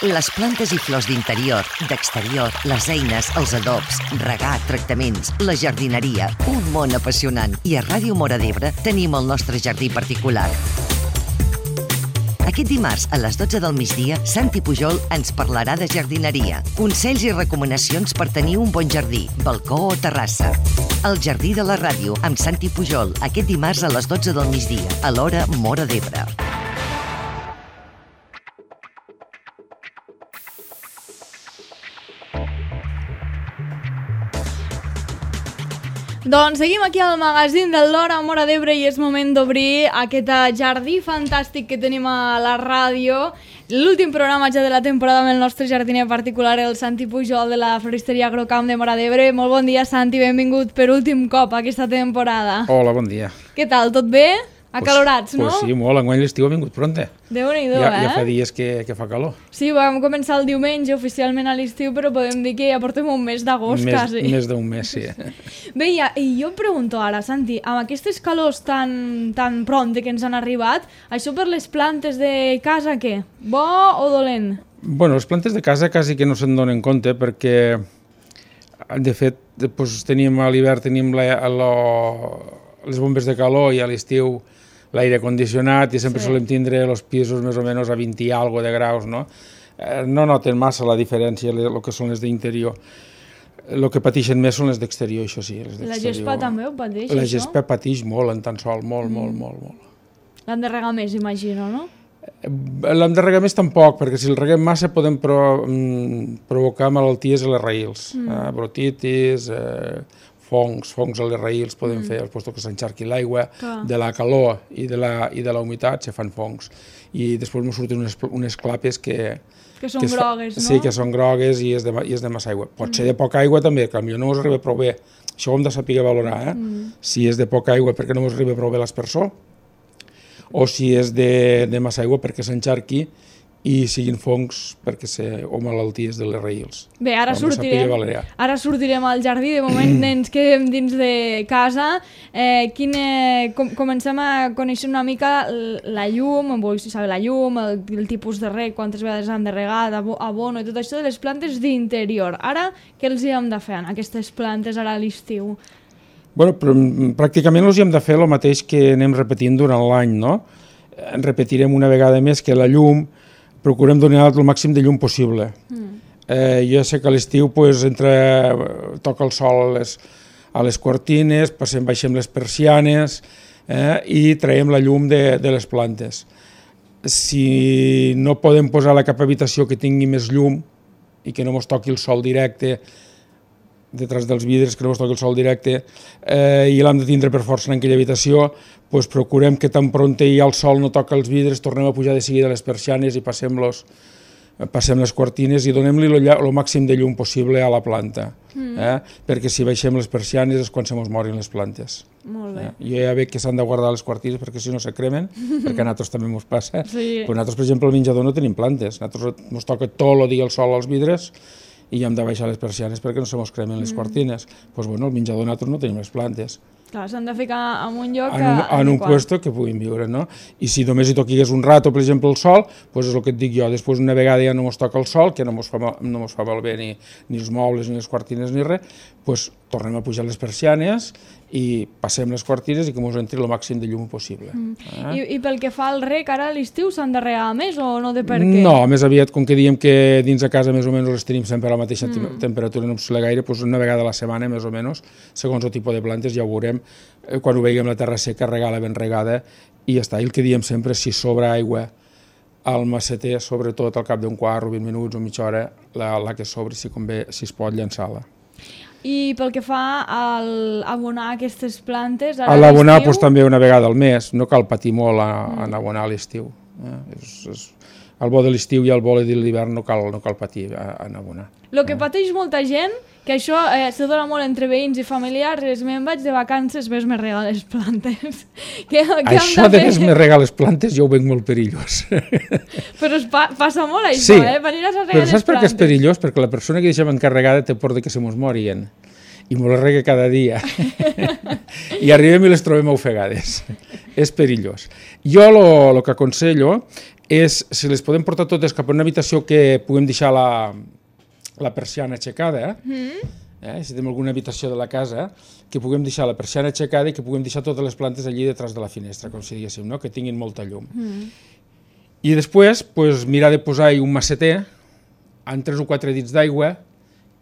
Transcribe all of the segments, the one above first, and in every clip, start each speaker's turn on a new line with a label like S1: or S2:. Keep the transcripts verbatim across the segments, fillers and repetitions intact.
S1: Les plantes i flors d'interior, d'exterior, les eines, els adobs, regar, tractaments, la jardineria, un món apassionant. I a Ràdio Móra d'Ebre tenim el nostre jardí particular. Aquest dimarts, a les dotze del migdia, Santi Pujol ens parlarà de jardineria, consells i recomanacions per tenir un bon jardí, balcó o terrassa. El Jardí de la Ràdio, amb Santi Pujol, aquest dimarts a les dotze del migdia, a l'hora Móra d'Ebre.
S2: Doncs seguim aquí al magazín del l'Hora Móra d'Ebre i és moment d'obrir aquest jardí fantàstic que tenim a la ràdio. L'últim programa ja de la temporada amb el nostre jardiner particular, el Santi Pujol de la floristeria Agrocamp de Móra d'Ebre. Molt bon dia, Santi, benvingut per últim cop a aquesta temporada.
S3: Hola, bon dia.
S2: Què tal, tot bé? Acalorats,
S3: pues,
S2: no?
S3: Pues sí, molt. Enguany l'estiu ha vingut pronte.
S2: Déu-n'hi-do,
S3: ja,
S2: eh?
S3: Ja fa dies que, que fa calor.
S2: Sí, vam començar el diumenge oficialment a l'estiu, però podem dir que ja portem un mes d'agost, quasi.
S3: Més d'un mes, sí.
S2: Bé, ja, i jo em pregunto ara, Santi, amb aquestes calors tan, tan pronte que ens han arribat, això per les plantes de casa, què? Bo o dolent?
S3: Bueno, les plantes de casa quasi que no se'n donen compte perquè, de fet, doncs, tenim a l'hivern tenim la, la, les bombes de calor i a l'estiu l'aire condicionat i sempre sí. Solem tindre els pisos més o menys a vint i algo de graus, no? Eh, no noten massa la diferència el que són les d'interior. El que pateixen més són les d'exterior, això sí. Les
S2: la gespa també ho pateix,
S3: la
S2: això? La
S3: gespa pateix molt en tan sol, molt, mm. molt, molt, molt.
S2: L'han de regar més, imagino, no?
S3: L'hem de regar més tampoc, perquè si el reguem massa podem pro, mm, provocar malalties a les raïls, mm. eh, brotitis, eh, fongs, fongs a les raïls podem mm. fer, al posto que s'enxarqui l'aigua, de la calor i de la, i de la humitat se fan fongs. I després ens surten unes, unes clapes que...
S2: Que són
S3: que
S2: grogues,
S3: fa,
S2: no?
S3: Sí, que són grogues i és de, i és de massa aigua. Pot mm. ser de poca aigua també, que potser no us arriba prou bé. Això ho hem de saber valorar, eh? Mm. Si és de poca aigua perquè no us arriba prou bé l'aspersor, o si és de, de massa aigua perquè s'enxarqui i siguin fongs perquè se, o malalties de les raïls.
S2: Bé, ara sortirem, ara sortirem al jardí, de moment ens quedem dins de casa. Eh, quine, com, comencem a conèixer una mica la llum, vull saber la llum, el, el tipus de reg, quantes vegades han de regar, abono i tot això de les plantes d'interior. Ara, què els hi hem de fer en aquestes plantes ara a l'estiu?
S3: Bueno, però, pràcticament els hi hem de fer el mateix que anem repetint durant l'any, no? En repetirem una vegada més que la llum procurem donar el màxim de llum possible. Mm. Eh, jo sé que a l'estiu pues, entre, toca el sol a les, a les cortines, passem, baixem les persianes eh, i traiem la llum de, de les plantes. Si no podem posar a cap habitació que tingui més llum i que no ens toqui el sol directe, detrás dels vidres, que no ens toqui el sol directe, eh, i l'hem de tindre per força en aquella habitació, pues procurem que tan pronte hi ha el sol no toca els vidres, tornem a pujar de seguida les persianes i passem, los, passem les cortines i donem-li el màxim de llum possible a la planta, mm. eh? perquè si baixem les persianes és quan se mos morin les plantes.
S2: Molt bé.
S3: Eh? Jo ja veig que s'han de guardar les cortines perquè si no se cremen, perquè a nosaltres també ens passa.
S2: Sí.
S3: Però nosaltres, per exemple, al menjador no tenim plantes, nosaltres ens toca tot el dia el sol als vidres i hem de baixar les persianes perquè no se mos cremen les mm. cortines. Doncs bueno, al menjador nosaltres no tenim les plantes.
S2: Clar, s'han de ficar en un lloc...
S3: En un, en un puesto que puguin viure, no? I si només hi toqués un rato, per exemple, el sol, doncs és el que et dic jo, després una vegada ja no mos toca el sol, que no mos fa, no mos fa malbé ni, ni els mobles, ni les cortines, ni res, doncs tornem a pujar les persianes i passem les cortines i que ens entri el màxim de llum possible. Mm. Eh?
S2: I, I pel que fa al reg, ara a l'estiu s'han de regar més o no de per què?
S3: No, més aviat, com que diem que dins de casa més o menys les tenim sempre a la mateixa mm. temperatura, no ens gaire, doncs una vegada a la setmana més o menys, segons el tipus de plantes ja ho veurem, eh, quan ho veiem la terra seca, regar-la ben regada i ja està. I el que diem sempre, si sobra aigua al maceter, sobretot al cap d'un quart o vint minuts o mitja hora, la, la que sobri, si convé, si es pot, llançar-la.
S2: I pel que fa al abonar aquestes plantes...
S3: A l'abonar doncs, també una vegada al mes, no cal patir molt a, a abonar a l'estiu. Eh? És, és, el bo de l'estiu i el bo de l'hivern no cal, no cal patir a, a abonar.
S2: El que pateix molta gent, que això eh, se dona molt entre veïns i familiars, és me'n vaig de vacances, ves me regar les plantes. que, que
S3: això de, de ves me regar les plantes jo ho veig molt perillós.
S2: Però es pa passa molt això,
S3: sí,
S2: eh? Venir a regar
S3: però
S2: les
S3: saps per què és perillós? Perquè la persona que deixem encarregada té por de que se mos morien. I me les rega cada dia. I arribem i les trobem ofegades. És perillós. Jo el que aconsello és si les podem portar totes cap a una habitació que puguem deixar la, la persiana aixecada, mm. eh, si tenim alguna habitació de la casa, que puguem deixar la persiana aixecada i que puguem deixar totes les plantes allí detrás de la finestra, com si diguéssim, no? Que tinguin molta llum. Mm. I després, pues, mirar de posar-hi un maceter amb tres o quatre dits d'aigua,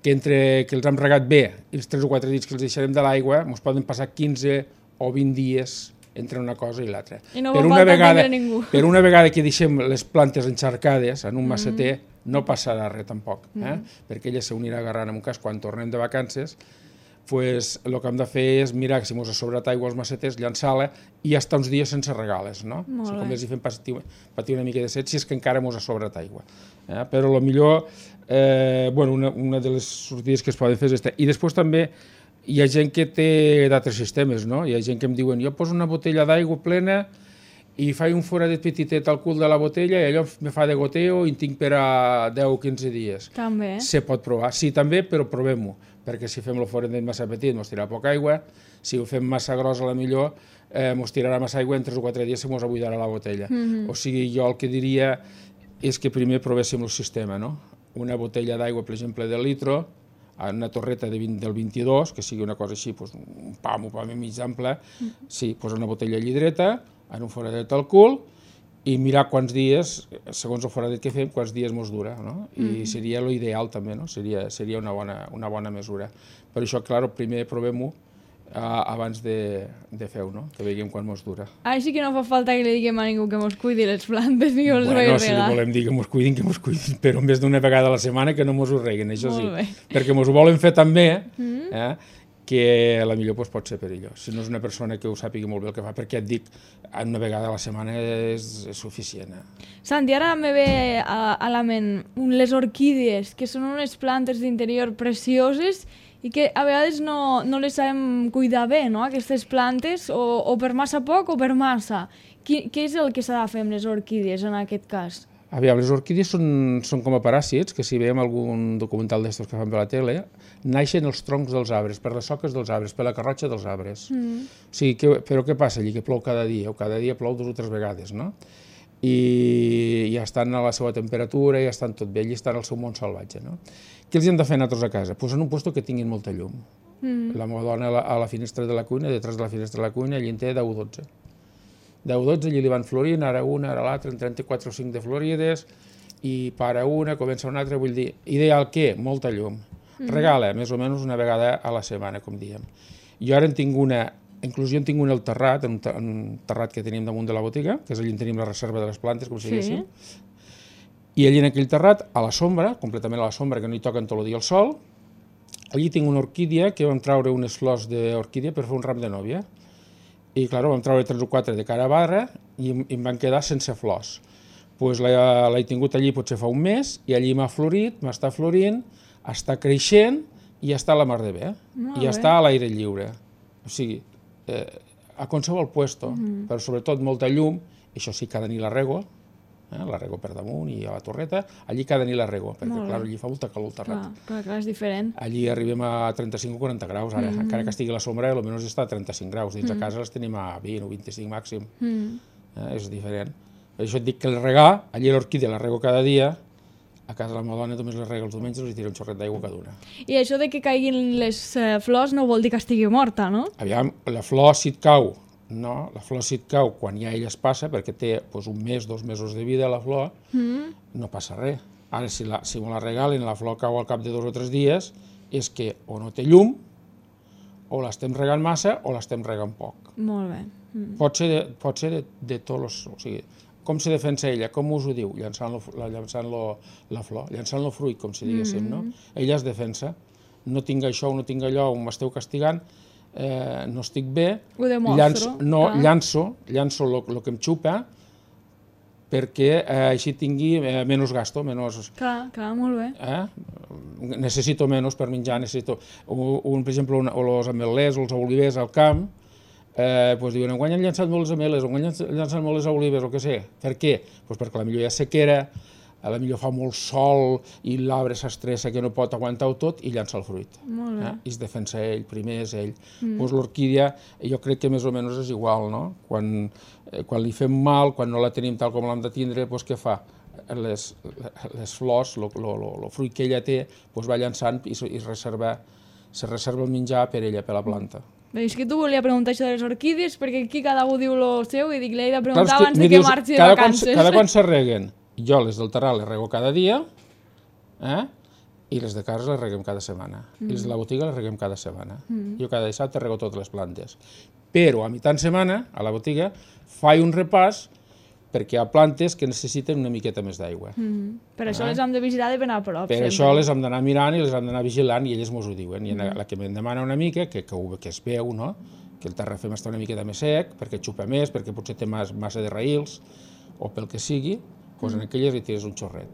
S3: que entre que els hem regat bé i els tres o quatre dits que els deixarem de l'aigua, ens poden passar quinze o vint dies entre una cosa i l'altra.
S2: I no per, una vegada, ningú.
S3: per una vegada que deixem les plantes encharcades en un maceter, mm. no passarà res tampoc, eh? mm. perquè ella s'unirà agarrant en un cas quan tornem de vacances, pues, el que hem de fer és mirar que si ens ha sobrat aigua als maceters, llançar-la i estar uns dies sense regales, no? O sigui, com els hi fem patir, patir una mica de set si és que encara ens ha sobrat aigua. Eh? Però el millor, eh, bueno, una, una de les sortides que es poden fer és aquesta. I després també hi ha gent que té d'altres sistemes, no? Hi ha gent que em diuen, jo poso una botella d'aigua plena i faig un foradet petitet al cul de la botella i allò me fa de goteo i en tinc per a deu o quinze dies.
S2: També.
S3: Se pot provar. Sí, també, però provem-ho, perquè si fem el foradet massa petit mos tirarà poca aigua, si ho fem massa gros a la millor eh, mos tirarà massa aigua, en tres o quatre dies se mos abuidarà la botella. Mm-hmm. O sigui, jo el que diria és que primer provéssim el sistema, no? Una botella d'aigua, per exemple, de litro, una torreta de vint, del vint-i-dos, que sigui una cosa així, pues, un pam, un pam mig ample, mm. sí, pues una botella llidreta, en un foradet al cul, i mirar quants dies, segons el foradet que fem, quants dies mos dura, no? I mm. seria l'ideal també, no? Seria, seria una, bona, una bona mesura. Per això, clar, primer provem-ho uh, abans de, de fer-ho, no? Que veiem quan mos dura.
S2: Així que no fa falta que li diguem a ningú que mos cuidi les plantes ni que els
S3: bueno,
S2: vagi
S3: si li volem dir que mos cuidin, que mos cuidin, però més d'una vegada a la setmana que no mos ho reguen, això sí. Perquè mos ho volen fer també, mm. eh? que a la millor pues, pot ser perillós. Si no és una persona que ho sàpiga molt bé el que fa, perquè et dic, una vegada a la setmana és, és suficient. Eh?
S2: Santi, ara me ve a, a la ment les orquídees, que són unes plantes d'interior precioses i que a vegades no, no les sabem cuidar bé, no?, aquestes plantes, o, o per massa poc o per massa. Qui, què és el que s'ha de fer amb les orquídees en aquest cas?
S3: Aviam, les orquídees són, són com a paràsits, que si veiem algun documental d'estos que fan per la tele, naixen els troncs dels arbres, per les soques dels arbres, per la carrotxa dels arbres. Mm. O sigui, que, però què passa allí? Que plou cada dia, o cada dia plou dues o tres vegades, no? I ja estan a la seva temperatura, ja estan tot bé, allà estan al seu món salvatge, no? Què els hem de fer nosaltres a casa? Pues en un lloc que tinguin molta llum. Mm. La meva dona a la, a la finestra de la cuina, detrás de la finestra de la cuina, allí en té deu o dotze. deu o dotze, allí li van florint, ara una, ara l'altra, en trenta-quatre o cinc de florides, i para una, comença una altra, vull dir, ideal què? Molta llum. Mm. Regala, més o menys una vegada a la setmana, com diem. Jo ara en tinc una, inclús jo en tinc una al terrat, en un terrat que tenim damunt de la botiga, que és allí on tenim la reserva de les plantes, com si diguéssim, sí. I allí en aquell terrat, a la sombra, completament a la sombra, que no hi toquen tot el dia el sol, allí tinc una orquídia que vam traure unes flors d'orquídia per fer un ram de nòvia. I, clar, vam treure tres o quatre de cara a barra i em van quedar sense flors. Pues l'he tingut allí potser fa un mes i allí m'ha florit, m'està florint, està creixent i està a la mar de bé.
S2: Molt
S3: I
S2: bé.
S3: està a l'aire lliure. O sigui, eh, a qualsevol puesto, mm. però sobretot molta llum, això sí, cada nit la rego, eh, la rego per damunt i a la torreta, allí cada nit la rego, perquè clar, allí fa molta calor al terrat.
S2: Clar, clar, clar, és diferent.
S3: Allí arribem a trenta-cinc o quaranta graus, ara, mm. encara que estigui a la sombra, almenys està a trenta-cinc graus, dins mm. a casa les tenim a vint o vint-i-cinc màxim, mm. eh, és diferent. Per això et dic que el regar, allí l'orquídea la rego cada dia, a casa la meva dona només les rega els diumenges i tira un xorret d'aigua cada una.
S2: I això de que caiguin les eh, flors no vol dir que estigui morta, no?
S3: Aviam, la flor si et cau, no, la flor si et cau quan ja ella es passa, perquè té pues, un mes, dos mesos de vida la flor, mm. no passa res. Ara, si, la, si me la regalen i la flor cau al cap de dos o tres dies, és que o no té llum, o l'estem regant massa, o l'estem regant poc.
S2: Molt bé. Mm.
S3: Pot ser, de, pot ser de, de tots els... O sigui, com se defensa ella? Com us ho diu? Llançant, lo, llançant lo, la flor, llançant el fruit, com si diguéssim, mm. no? Ella es defensa. No tinc això o no tinc allò, o m'esteu castigant, eh, no estic bé,
S2: ho demostro,
S3: llanço, no, llanço, llanço el que em xupa perquè eh, així tingui eh, menys gasto, menys...
S2: Clar, clar, molt bé.
S3: Eh? Necessito menys per menjar, necessito... Un, un, per exemple, un, o els ametllers o els olivers al camp, eh, pues diuen, enguany han llançat molt les ametlles, enguany han llançat molt les olives, o què sé. Per què? Pues perquè la millor hi ha sequera, a la millor fa molt sol i l'arbre s'estressa que no pot aguantar-ho tot i llança el fruit.
S2: Molt bé.
S3: Eh? I es defensa ell, primer és ell. Mm. Pues l'orquídia jo crec que més o menys és igual, no? Quan, eh, quan li fem mal, quan no la tenim tal com l'hem de tindre, pues què fa? Les, les flors, el fruit que ella té, pues va llançant i, i es reserva, se reserva el menjar per ella, per la planta.
S2: Bé, és que tu volia preguntar això de les orquídies, perquè aquí cada un diu el seu i dic, l'he de preguntar abans de que marxi de vacances.
S3: Cada quan se reguen. Jo les del terral les rego cada dia, eh? I les de casa les reguem cada setmana. Mm. I les de la botiga les reguem cada setmana. Mm. Jo cada dissabte rego totes les plantes. Però a mitjan setmana, a la botiga, faig un repàs perquè hi ha plantes que necessiten una miqueta més d'aigua.
S2: Mm. Per això eh? les hem de vigilar de ben a prop.
S3: Per sempre. Això les hem d'anar mirant i les hem d'anar vigilant i elles mos ho diuen. I mm. la que me'n demana una mica, que, que, que es veu, no? Que el terrafem està una miqueta més sec, perquè xupa més, perquè potser té massa de raïls, o pel que sigui, doncs en aquelles li tires un xorret,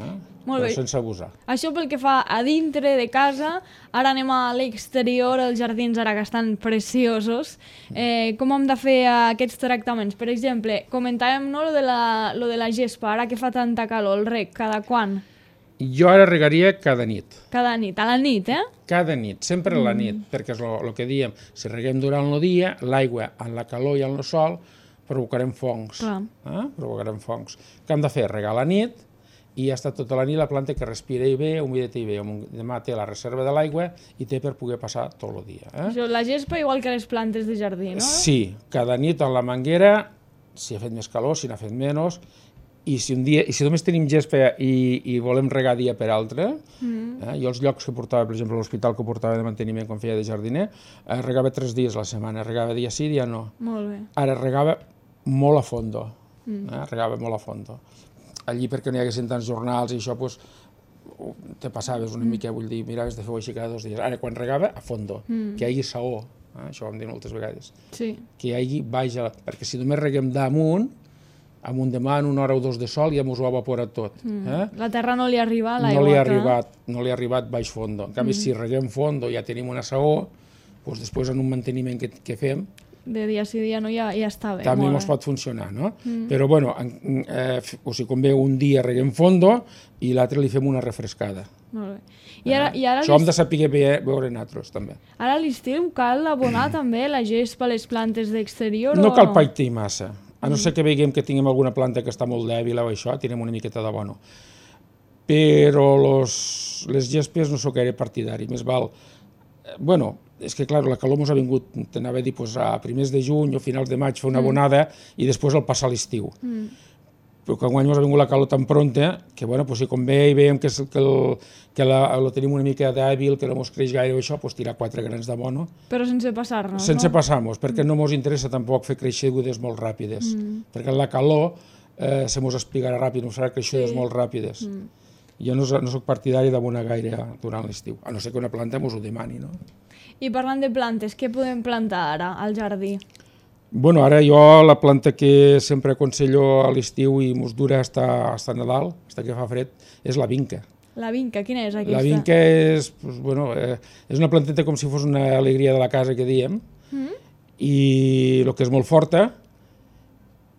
S3: eh? Però sense abusar.
S2: Això pel que fa a dintre de casa, ara anem a l'exterior, els jardins ara que estan preciosos. Eh, com hem de fer aquests tractaments? Per exemple, comentàvem no, lo, de la, lo de la gespa, ara que fa tanta calor, el reg, cada quan?
S3: Jo ara regaria cada nit.
S2: Cada nit, a la nit, eh?
S3: Cada nit, sempre a la nit, mm. perquè és el que diem, si reguem durant el dia, l'aigua en la calor i en el sol, provocarem fongs. Eh? Provocarem fongs. Què hem de fer? Regar a la nit i ja està tota la nit la planta que respira i bé, humida i bé. Demà té la reserva de l'aigua i té per poder passar tot el dia. Eh?
S2: Això, la gespa igual que les plantes de jardí, no?
S3: Sí, cada nit en la manguera, si ha fet més calor, si n'ha fet menys, i si, un dia, i si només tenim gespa i, i volem regar dia per altre, mm. eh? jo els llocs que portava, per exemple, l'hospital que portava de manteniment quan feia de jardiner, eh, regava tres dies a la setmana, regava dia sí, dia no.
S2: Molt bé.
S3: Ara regava molt a fondo, mm. eh? regava molt a fondo. Allí perquè no hi haguessin tants jornals i això, pues, te passaves una mm. mica, vull dir, miraves de fer-ho així cada dos dies. Ara, quan regava, a fondo, mm. que hi hagi saó, eh? Això ho hem dit moltes vegades,
S2: sí.
S3: que hi hagi baix, perquè si només reguem damunt, amunt demà en una hora o dos de sol ja mos ho ha evaporat tot. Mm. Eh?
S2: La terra no li arriba a l'aigua.
S3: No li ha arribat, no li ha arribat baix fondo. En canvi, mm. si reguem fondo ja tenim una saó, doncs després en un manteniment que, que fem,
S2: de dia sí dia no ja, ja està bé.
S3: També ens pot funcionar, no? Mm. Però, bueno, eh, o sigui, convé un dia reguem fondo i l'altre li fem una refrescada.
S2: Molt bé. I ara, i ara
S3: això hem de saber veure nosaltres, també.
S2: Ara a l'estiu cal abonar també la gespa a les plantes d'exterior?
S3: No cal païtir massa. A no ser que veiem que tinguem alguna planta que està molt dèbil o això, tirem una miqueta d'abono. Però los, les gespes no sóc gaire partidari, més val... Bueno, és que, clar, la calor ens ha vingut, t'anava a dir, pues, a primers de juny o finals de maig fer una abonada mm. i després el passar l'estiu. Mm. Però que enguany ens ha vingut la calor tan pronta que, bueno, pues, si convé i veiem que, que, el, que la, la tenim una mica dèbil, que no ens creix gaire o això, pues, tirar quatre grans d'abono.
S2: Però sense passar-nos,
S3: Sense
S2: no?
S3: passar-nos, perquè mm. no ens interessa tampoc fer creixegudes molt ràpides, mm. perquè la calor eh, se ens espigarà ràpid, no serà creixegudes sí. molt ràpides. Mm. Jo no, no soc partidari d'abonar gaire durant l'estiu, a no ser que una planta ens ho demani, no?
S2: I parlant de plantes, què podem plantar ara al jardí?
S3: Bueno, ara jo la planta que sempre aconsello a l'estiu i ens dura fins a Nadal, fins que fa fred, és la vinca.
S2: La vinca, quina és aquesta?
S3: La vinca és, pues, bueno, eh, és una planteta com si fos una alegria de la casa que diem, mm. i el que és molt forta,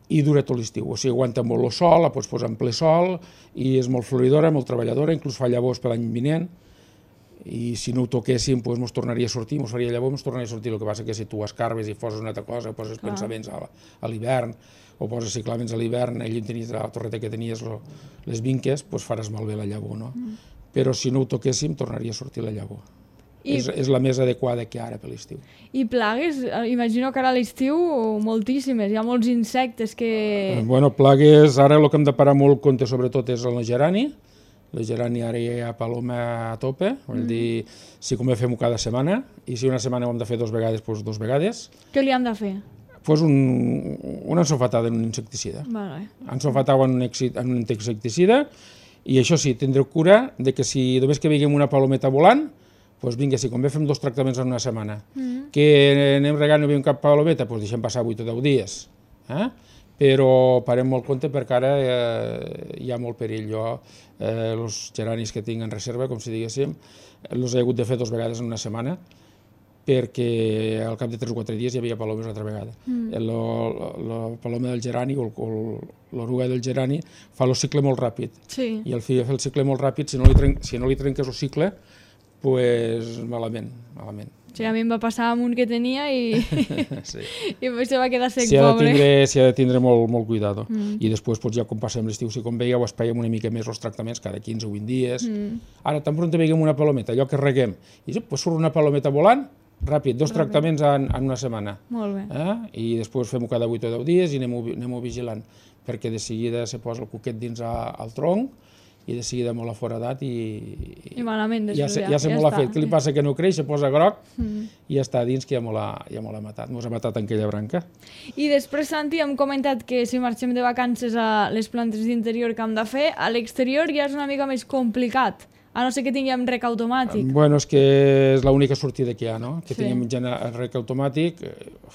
S3: i dura tot l'estiu, o sigui, aguanta molt el sol, la pots posar en ple sol, i és molt floridora, molt treballadora, inclús fa llavors per l'any vinent, i si no ho toquéssim, doncs ens tornaria a sortir, ens faria llavors, ens tornaria a sortir, el que passa que si tu escarbes i foses una altra cosa, poses Clar. pensaments a, a l'hivern, o poses ciclaments a l'hivern, allà on tenies la torreta que tenies, lo, les vinques, doncs faràs malbé la llavor, no? Mm. Però si no ho toquéssim, tornaria a sortir la llavor. I... És, és la més adequada que ara per l'estiu.
S2: I plagues? Imagino que ara a l'estiu moltíssimes, hi ha molts insectes que...
S3: Eh, bueno, plagues, ara el que hem de parar molt compte sobretot és el gerani. El gerani ara hi ha paloma a tope, vol mm. dir, si convé fem-ho cada setmana, i si una setmana ho hem de fer dos vegades, doncs dos vegades.
S2: Què li hem de fer?
S3: Pues un, una ensofatada en un insecticida.
S2: Vale.
S3: Ensofatada en un, en un insecticida, i això sí, tindreu cura de que si només que veiem una palometa volant, doncs vinga, si convé fem dos tractaments en una setmana. Mm. Que anem regant i no veiem cap palometa, doncs deixem passar vuit o deu dies. Eh? Però parem molt compte perquè ara eh, hi ha molt perill. Jo, eh, els geranis que tinc en reserva, com si diguéssim, els he hagut de fer dues vegades en una setmana, perquè al cap de tres o quatre dies hi havia palomes altra vegada. Mm. La paloma del gerani o l'oruga del gerani fa el cicle molt ràpid.
S2: Sí.
S3: I al fi de fer el cicle molt ràpid, si no li, tren si no li trenques el cicle, pues malament, malament.
S2: Sí, a mi em va passar amb un que tenia i,
S3: sí.
S2: i se va quedar sec, pobre.
S3: S'hi ha de tindre molt, molt cuidado. Mm. I després, pues, ja com passem l'estiu, si com veieu, espaiem una mica més els tractaments cada quinze o vint dies. Mm. Ara, tan pront veiem una palometa, allò que reguem, i pues, surt una palometa volant, ràpid, dos ràpid. tractaments en, en una setmana.
S2: Molt bé.
S3: Eh? I després fem-ho cada vuit o deu dies i anem-ho anem vigilant, perquè de seguida se posa el cuquet dins a, al tronc i de seguida molt aforadat i...
S2: I malament,
S3: ja, ja, ja se ja molt ha fet. Què li passa? Que no creix, se posa groc mm. i ja està dins, que ja molt ha, ja molt ha matat. Mos ha matat en aquella branca.
S2: I després, Santi, hem comentat que si marxem de vacances a les plantes d'interior que hem de fer, a l'exterior ja és una mica més complicat. A no ser que tinguem rec automàtic.
S3: Bueno, és que és l'única sortida que hi ha, no? Que sí. tinguem rec automàtic,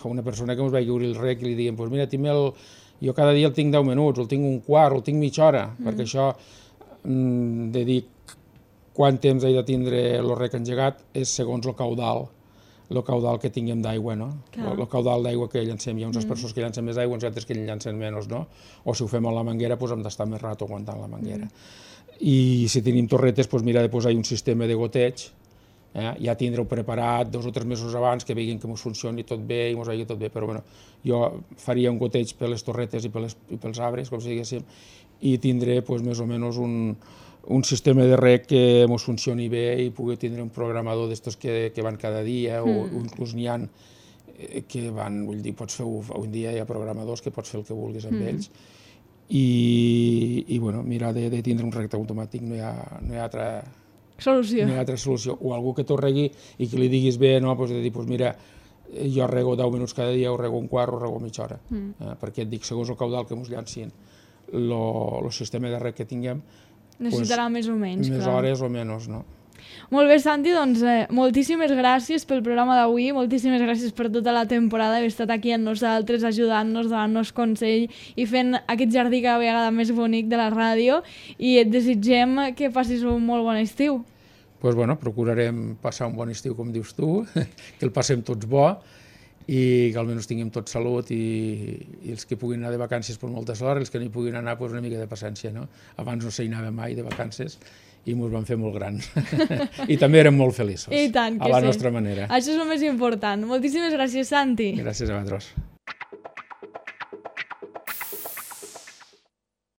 S3: una persona que ens vagi obrir el rec i li diguem, pues mira, el... jo cada dia el tinc deu minuts, el tinc un quart, el tinc mitja hora, mm. perquè això mm, de dir quant temps he de tindre el rec engegat és segons el caudal, el caudal que tinguem d'aigua, no? El, el caudal d'aigua que llancem. Hi ha uns mm. persones que llancen més aigua, uns altres que llancen menys, no? O si ho fem a la manguera, doncs hem d'estar més rato aguantant la manguera. Mm. I si tenim torretes, doncs mira de posar un sistema de goteig, eh? ja tindre-ho preparat dos o tres mesos abans, que veguin que ens funcioni tot bé i ens vagi tot bé, però bueno, jo faria un goteig per les torretes i, per les, i pels arbres, com si diguéssim, i tindré pues, més o menys un, un sistema de rec que ens funcioni bé i pugui tindre un programador d'estos que, que van cada dia, mm. o, o inclús n'hi ha que van, vull dir, pots fer un dia, hi ha programadors que pots fer el que vulguis amb mm. ells, i, i bueno, mirar de, de tindre un rec automàtic, no hi ha, no hi ha altra
S2: solució.
S3: No hi ha altra solució. O algú que t'ho regui i que li diguis bé, no, doncs de dir, pues mira, jo rego deu minuts cada dia, o rego un quart, o rego mitja hora. Mm. Eh, perquè et dic, segons el caudal que ens llancin, el sistema de rec que tinguem,
S2: necessitarà pues, més o menys.
S3: Més
S2: clar.
S3: hores o menys, no?
S2: Molt bé, Santi, doncs eh, moltíssimes gràcies pel programa d'avui, moltíssimes gràcies per tota la temporada, haver estat aquí amb nosaltres, ajudant-nos, donant-nos consell i fent aquest jardí cada vegada més bonic de la ràdio, i et desitgem que passis un molt bon estiu.
S3: Doncs pues bueno, procurarem passar un bon estiu, com dius tu, que el passem tots bo i que almenys tinguem tot salut i, i els que puguin anar de vacances per molta sort, els que no hi puguin anar pues, una mica de paciència, no? Abans no s'hi anava mai de vacances i ens van fer molt grans. I també érem molt feliços.
S2: I tant que
S3: a la
S2: sí.
S3: nostra manera.
S2: Això és el més important. Moltíssimes gràcies, Santi.
S3: Gràcies a vosaltres.